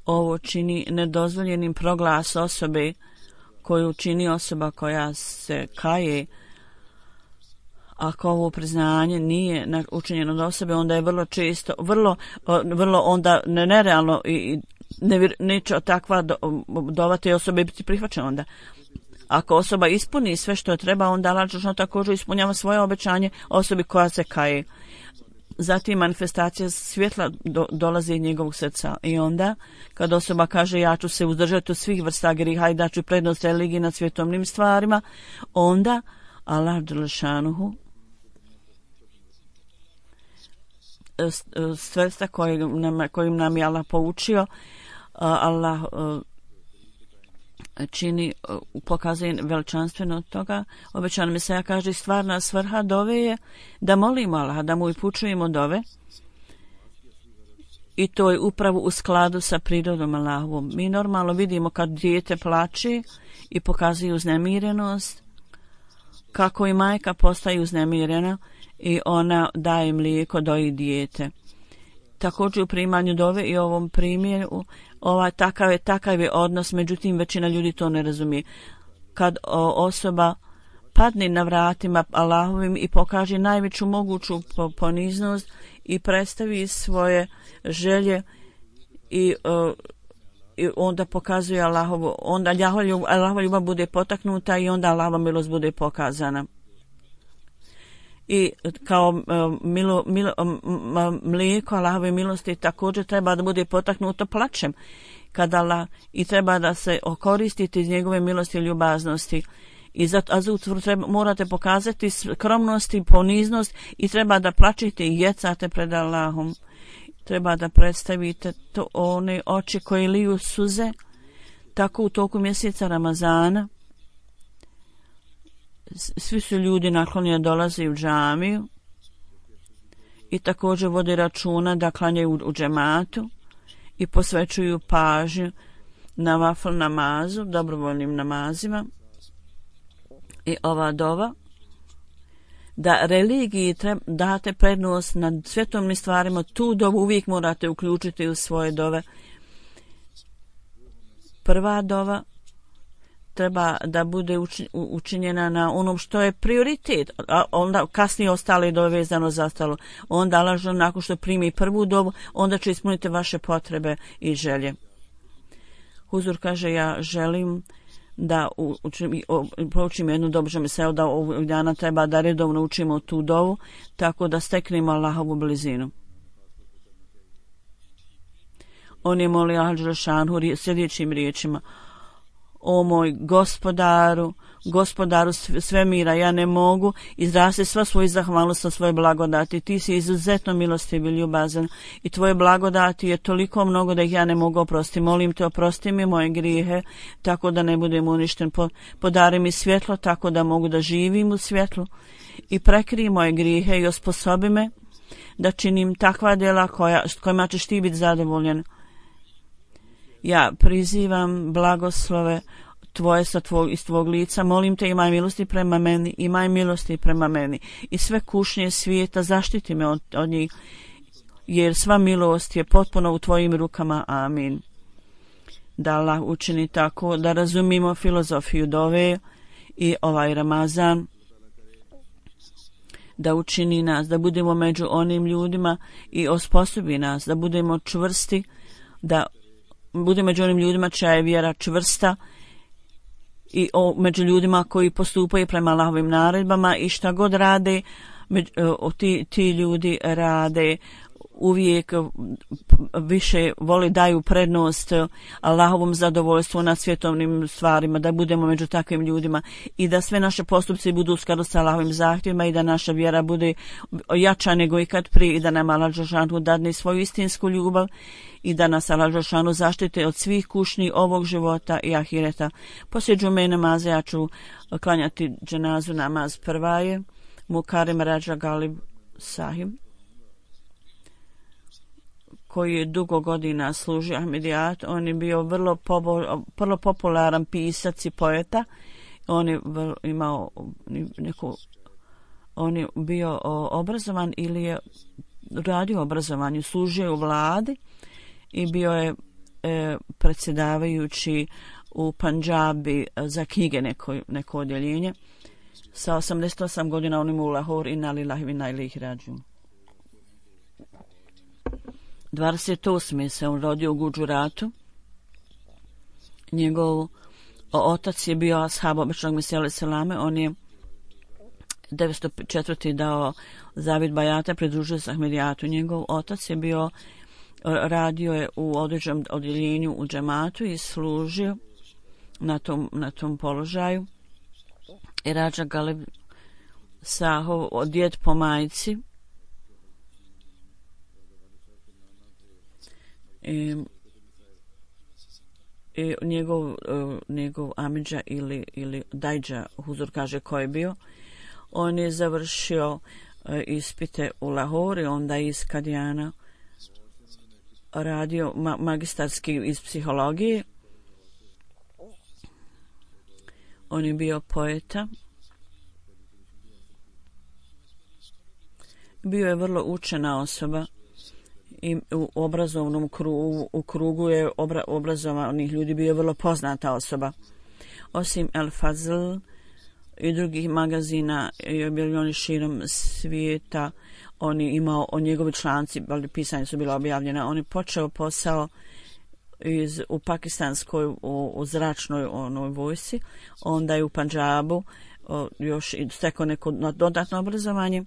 Ovo čini nedozvoljenim proglas osobe koju čini osoba koja se kaje. Ako ovo priznanje nije učinjeno od osobe, onda je vrlo često, vrlo, vrlo onda nerealno i ne, neće takva do, dova te osobe biti prihvaćena onda. Ako osoba ispuni sve što je treba, onda Allah također ispunjava svoje obećanje osobi koja se kaje. Zatim manifestacija svjetla do, dolazi iz njegovog srca. I onda, kad osoba kaže ja ću se uzdržati od svih vrsta griha i daću prednost religiji nad svjetovnim stvarima, onda Allah dželešanuhu sredstva kojim nam, kojim nam je Allah poučio. Allah čini, pokazuje veličanstveno od toga. Obećano mi se, ja kaže, stvarna svrha dove je da molimo Allaha, da mu upućujemo dove. I to je upravo u skladu sa prirodom Allahovom. Mi normalno vidimo kad dijete plače i pokazuje uznemirenost, kako i majka postaje uznemirena i ona daje mlijeko, doji dijete. Također u primanju dove i ovom primjeru ovaj takav je takav je odnos, međutim većina ljudi to ne razumije. Kad o, osoba padne na vratima Allahovim i pokaže najveću moguću poniznost i predstavi svoje želje i, uh, i onda pokazuje Allahovu, onda Allahova ljubav bude potaknuta i onda Allahova milost bude pokazana. I kao uh, milo, milo, um, mlijeko Allahove milosti također treba da bude potaknuto plačem kada Allah, i treba da se koristite iz njegove milosti i ljubaznosti. I zato azutru treba, morate pokazati skromnost i poniznost i treba da plačete i jecate pred Allahom. Treba da predstavite to one oči koje liju suze. Tako u toku mjeseca Ramazana svi su ljudi naklonjeni dolaze u džamiju i također vode računa da klanjaju u, u džematu i posvećuju pažnju na vafl namazu, dobrovoljnim namazima. I ova dova da religiji treba, date prednost nad svetovnim stvarima, tu dovu uvijek morate uključiti u svoje dove. Prva dova treba da bude učinjena na onom što je prioritet, a onda kasnije ostale dove vezano za ostalo. Onda lažno nakon što primi prvu dovu, onda će ispuniti vaše potrebe i želje. Huzur kaže, ja želim da učim, proučim jednu dobu, že mi se da ovog dana treba da redovno učimo tu dovu, tako da steknemo Allahovu blizinu. On je molio Al-Đelešanu sljedećim riječima: o moj gospodaru, gospodaru svemira, ja ne mogu izraziti sva svoju zahvalnost, svoje blagodati. Ti si izuzetno milostiv i ljubazan i tvoje blagodati je toliko mnogo da ih ja ne mogu oprostiti. Molim te, oprosti mi moje grijehe tako da ne budem uništen. Podari mi svjetlo tako da mogu da živim u svjetlu i prekrij moje grijehe i osposobi me da činim takva djela koja, s kojima ćeš ti biti zadovoljen. Ja prizivam blagoslove tvoje sa tvog, iz tvog lica, molim te, imaj milosti prema meni, imaj milosti prema meni i sve kušnje svijeta zaštiti me od, od njih, jer sva milost je potpuno u tvojim rukama. Amin. Da Allah učini tako da razumimo filozofiju dove i ovaj Ramazan, da učini nas, da budemo među onim ljudima i osposobi nas, da budemo čvrsti, da budemo među onim ljudima čija je vjera čvrsta i o, među ljudima koji postupaju prema Allahovim naredbama i šta god rade, među, o, ti, ti ljudi rade uvijek više vole daju prednost Allahovom zadovoljstvu nad svjetovnim stvarima, da budemo među takvim ljudima i da sve naše postupci budu u skladu sa Allahovim zahtjevima i da naša vjera bude jača nego ikad prije i da nam Allah dželešanu dadne svoju istinsku ljubav i da nas Allah dželešanu zaštite od svih kušnji ovog života i ahireta. Poslije džume namaza ja ću klanjati dženazu namaz. Prva je Mukarim Rađa Galib Sahib, koji je dugo godina služio Ahmedijat. On je bio vrlo, pobo, vrlo popularan pisac i poeta. On je vrlo, imao neku, on je bio obrazovan ili je radio u obrazovanju, služio u vladi i bio je e, predsjedavajući u Pandžabi za knjige neko, neko odjeljenje. Sa osamdeset osam godina on ima u Lahor i na lillahi wa inna ilaihi rađiun. dvadeset osme se on rodio u Gudžuratu. Njegov otac je bio ashab običnog Mesija selame. On je devetsto četvrte dao zavid bajata, pridružio se Ahmedijatu. Njegov otac je bio, radio je u određenom odjeljenju u džematu i služio na tom, na tom položaju. I Rađa Galib Sahov, djed po majci, I, i njegov, njegov amidža ili, ili dajđa, Huzur kaže ko je bio, on je završio ispite u Lahori, onda iz Kadijana radio ma- magistarski iz psihologije. On je bio poeta. Bio je vrlo učena osoba i u obrazovnom krugu, u krugu je obra, obrazovanih ljudi bio vrlo poznata osoba. Osim El Fazl i drugih magazina i objavljeni širom svijeta, on je imao, o njegovi članci, ali pisanja su bila objavljena, on je počeo posao iz, u pakistanskoj, u, u zračnoj onoj vojsci, onda je u Pandžabu o, još stekao neko dodatno obrazovanje.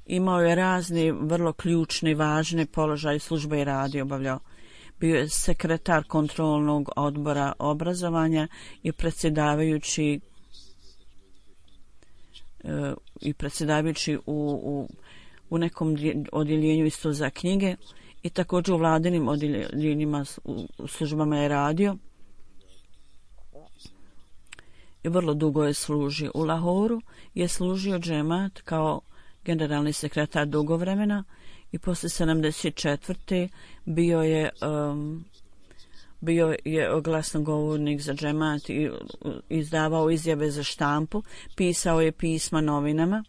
Imao je razne vrlo ključne, važne položaje, službe i radi obavljao. Bio je sekretar kontrolnog odbora obrazovanja i predsjedavajući e, i predsjedavajući u, u, u nekom odjeljenju isto za knjige i također u vladinim odjeljenjima u službama je radio. I vrlo dugo je služio. U Lahoru je služio džemat kao generalni sekretar dugo vremena i poslije sedamdeset četvrte bio je um, bio je glasnogovornik za džemat i izdavao izjave za štampu, pisao je pisma novinama.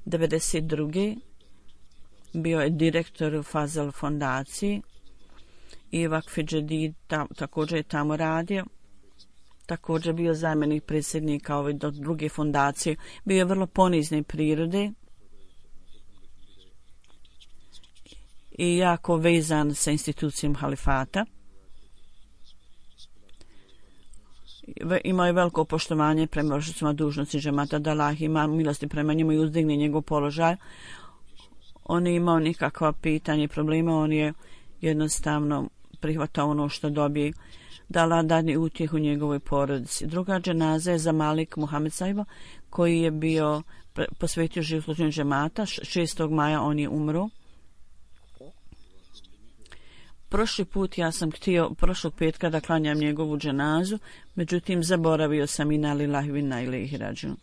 devedeset druge bio je direktor Fazal fondacije i Vakfi Džedid ta, također je tamo radio. Također bio zamjenik predsjednika ove do druge fondacije. Bio je vrlo ponizne prirode i jako vezan sa institucijom halifata. Imao je veliko poštovanje prema vršicama dužnosti džemata, da Allah ima milosti prema njemu i uzdigne njegov položaj. On nije imao nikakva pitanja i problema, on je jednostavno prihvatao ono što dobije, da Allah dadne utjehu njegovoj porodici. Druga dženaza je za Malik Muhammed Saiba, koji je bio posvetio život služenju džemata. šestog maja on je umro. Prošli put ja sam htio prošlog petka da klanjam njegovu dženazu, međutim zaboravio sam i na lillahi wa inna ilaihi rađiun.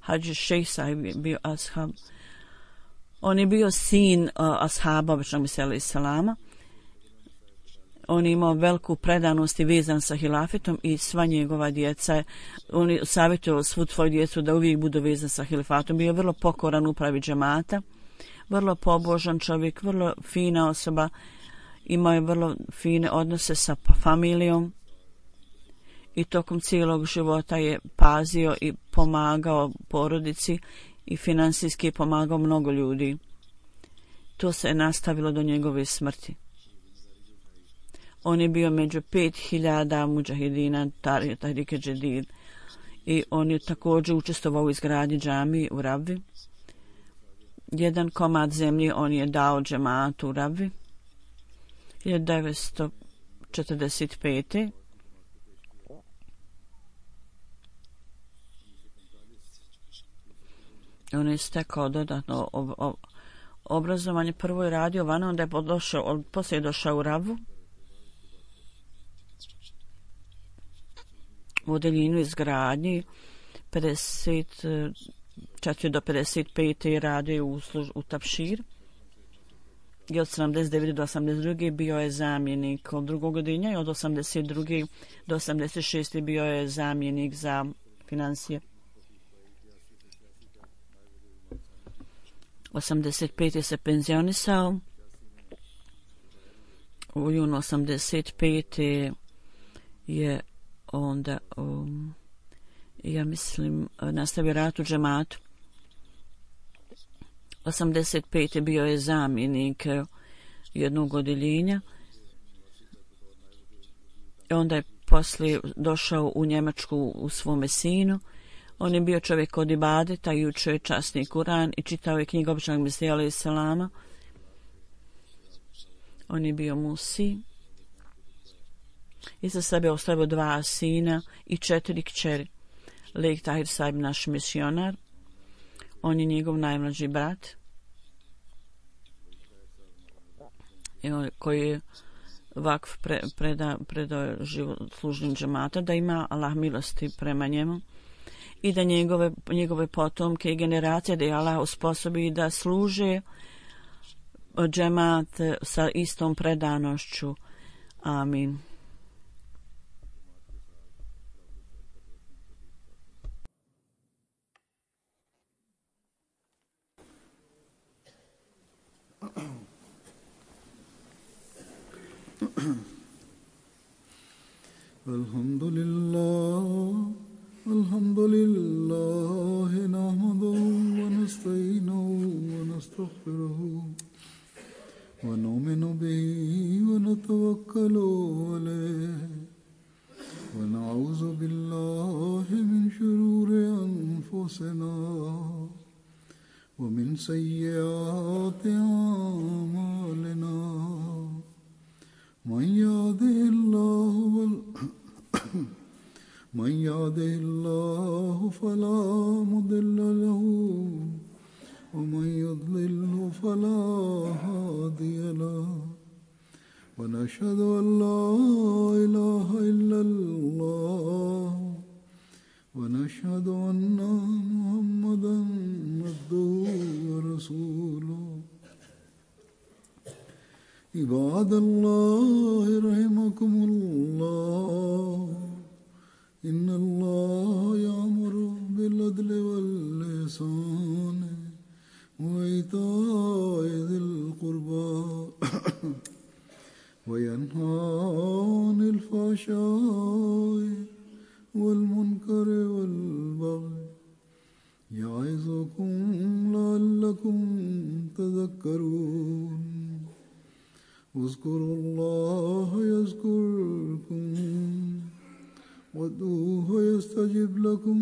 Hadži Šejh Sahib je bio ashab. On je bio sin uh, ashaba običnog Mesija alejhi selama. On je imao veliku predanost i vezan sa hilafetom i sva njegova djeca. On je savjetovao svu svoju djecu da uvijek budu vezani sa hilafatom. Bio je vrlo pokoran upravi džemata, vrlo pobožan čovjek, vrlo fina osoba. Imao je vrlo fine odnose sa familijom i tokom cijelog života je pazio i pomagao porodici i finansijski pomagao mnogo ljudi. To se je nastavilo do njegove smrti. On je bio među pet hiljada muđahidina Tahrike Džedid i on je također učestvovao u izgradnji džamije u Rabvi. Jedan komad zemlje on je dao džematu u Rabvi. hiljadu devetsto četrdeset pete. On je stekao dodatno ob, ob, obrazovanje. Prvo je radio vano, onda je došao, poslije je došao u Ravu. U odeljinu izgradnji pedeset četiri do pedeset pet je radio u, služ, u Tapšir. I od sedamdeset devete do osamdeset druge bio je zamjenik od drugog odeljenja i od osamdeset druge do osamdeset šeste bio je zamjenik za financije. osamdeset pete se penzionisao. U junu osamdeset pete je onda um, ja mislim nastavio rad u džematu. osamdeset pete bio je zamjenik jednog odeljenja. Onda je poslije došao u Njemačku u svome sinu. On je bio čovjek od ibadeta i učio je časni Kuran i čitao je knjigu običnog Mesija alejhi selama. On je bio musi. Iza sebe ostavio dva sina i četiri kćeri. Lejk Tahir Saib, naš misionar. On je njegov najmlađi brat. koji je vakf pre, preda, predao život služnim džemata, da ima Allah milosti prema njemu i da njegove, njegove potomke i generacije, da je Allah usposobi da služe džemat sa istom predanošću. Amin. Alhamdulillah, alhamdulillah, nahmaduhu wa nasta'inuhu wa nastaghfiruhu wa nu'minu bihi wa natawakkalu alayhi wa na'udhu billahi min shururi anfusina wa min sayyiati a'malina. من يهده الله من يهده الله فلا مضل له ومن يضلل فلا هادي له ونشهد أن لا إله إلا الله ونشهد أن محمدا عبده ورسوله. عباد الله رحمكم الله إن الله يأمر بالعدل والإحسان وإيتاء ذي القربى وينهى عن الفحشاء والمنكر والبغي يعظكم لعلكم تذكرون. اذكروا الله يذكركم وادعوه يستجب لكم